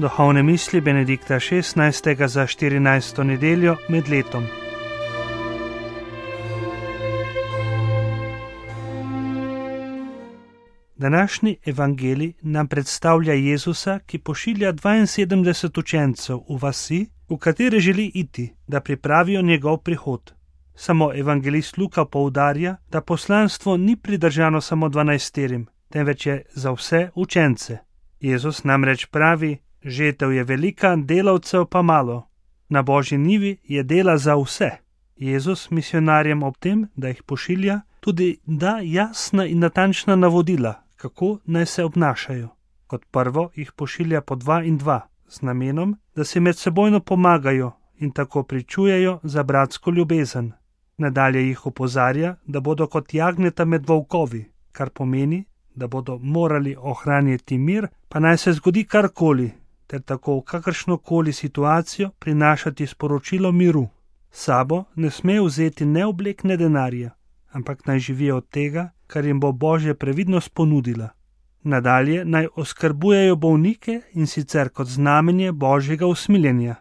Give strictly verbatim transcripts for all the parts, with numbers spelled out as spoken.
Duhovne misli Benedikta šestnajstega za štirinajsto nedeljo med letom. Današnji evangelij nam predstavlja Jezusa, ki pošilja dvainsedemdeset učencev v vasi, v katere želi iti, da pripravijo njegov prihod. Samo evangelist Luka poudarja, da poslanstvo ni pridržano samo dvanajsterim, temveč je za vse učence. Jezus namreč pravi: žetev je velika, delavcev pa malo. Na Božji njivi je dela za vse. Jezus misionarjem ob tem, da jih pošilja, tudi da jasna in natančna navodila, kako naj se obnašajo. Kot prvo jih pošilja po dva in dva, z namenom, da si medsebojno pomagajo in tako pričujejo za bratsko ljubezen. Nadalje jih opozarja, da bodo kot jagnjeta med volkovi, kar pomeni, da bodo morali ohranjati mir, pa naj se zgodi karkoli, ter tako v kakršnokoli situacijo prinašati sporočilo miru. Sabo ne sme vzeti ne oblek, ne denarja, ampak naj živijo od tega, kar jim bo Božja previdnost ponudila. Nadalje naj oskrbujejo bolnike in sicer kot znamenje Božjega usmiljenja.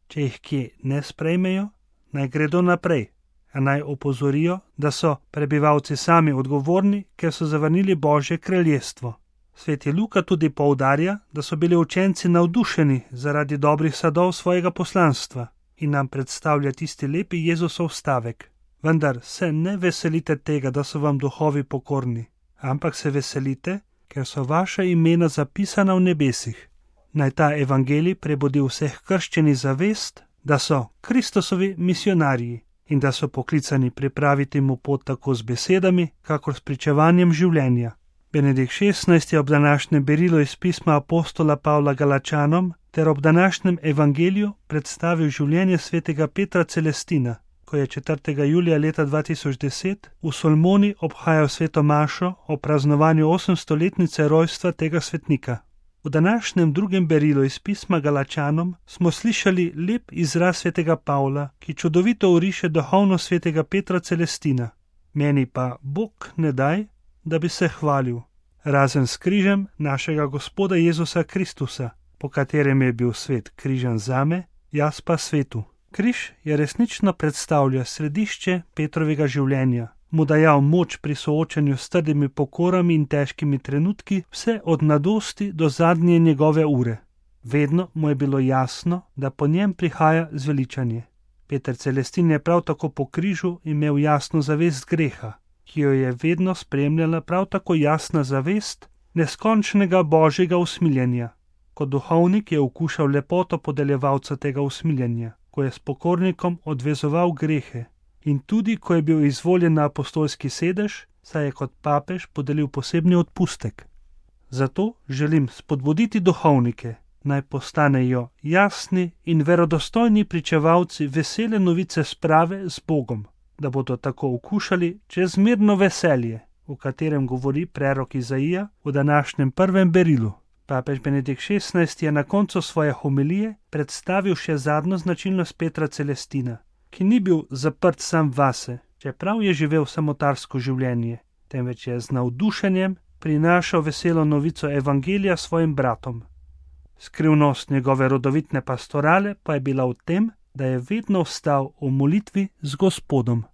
Če jih kje ne sprejmejo, naj gredo naprej, a naj opozorijo, da so prebivalci sami odgovorni, ker so zavrnili Božje kraljestvo. Sveti Luka tudi poudarja, da so bili učenci navdušeni zaradi dobrih sadov svojega poslanstva in nam predstavlja tisti lepi Jezusov stavek: vendar se ne veselite tega, da so vam duhovi pokorni, ampak se veselite, ker so vaša imena zapisana v nebesih. Naj ta evangelij prebudi vseh krščenih zavest, da so Kristusovi misionarji in da so poklicani pripraviti mu pot tako z besedami, kakor s pričevanjem življenja. Benedikt šestnajsti je ob današnjem berilu iz pisma apostola Pavla Galačanom ter ob današnjem evangeliju predstavil življenje svetega Petra Celestina, ko je četrtega julija leta dva tisoč deset v Solmoni obhajal sveto mašo o praznovanju osemstoletnice rojstva tega svetnika. V današnjem drugem berilu iz pisma Galačanom smo slišali lep izraz svetega Pavla, ki čudovito oriše duhovnost svetega Petra Celestina. Meni pa Bog ne daj, da bi se hvalil, razen s križem našega Gospoda Jezusa Kristusa, po katerem je bil svet križan zame, jaz pa svetu. Križ je resnično predstavlja središče Petrovega življenja, mu dajal moč pri soočanju s trdimi pokorami in težkimi trenutki, vse od mladosti do zadnje njegove ure. Vedno mu je bilo jasno, da po njem prihaja zveličanje. Peter Celestin je prav tako po križu imel jasno zavest greha, ki jo je vedno spremljala prav tako jasna zavest neskončnega Božjega usmiljenja. Kot duhovnik je okušal lepoto podeljevalca tega usmiljenja, ko je s pokornikom odvezoval grehe, in tudi ko je bil izvoljen na apostolski sedež, saj je kot papež podelil posebni odpustek. Zato želim spodbuditi duhovnike, naj postanejo jasni in verodostojni pričevalci vesele novice sprave z Bogom, da bodo tako okušali čezmerno veselje, o katerem govori prerok Izaija v današnjem prvem berilu. Papež Benedikt šestnajsti je na koncu svoje homilije predstavil še zadnjo značilnost Petra Celestina, ki ni bil zaprt sam vase, čeprav je živel samotarsko življenje, temveč je z navdušenjem prinašal veselo novico evangelija svojim bratom. Skrivnost njegove rodovitne pastorale pa je bila v tem, da je vedno vstal v molitvi z Gospodom.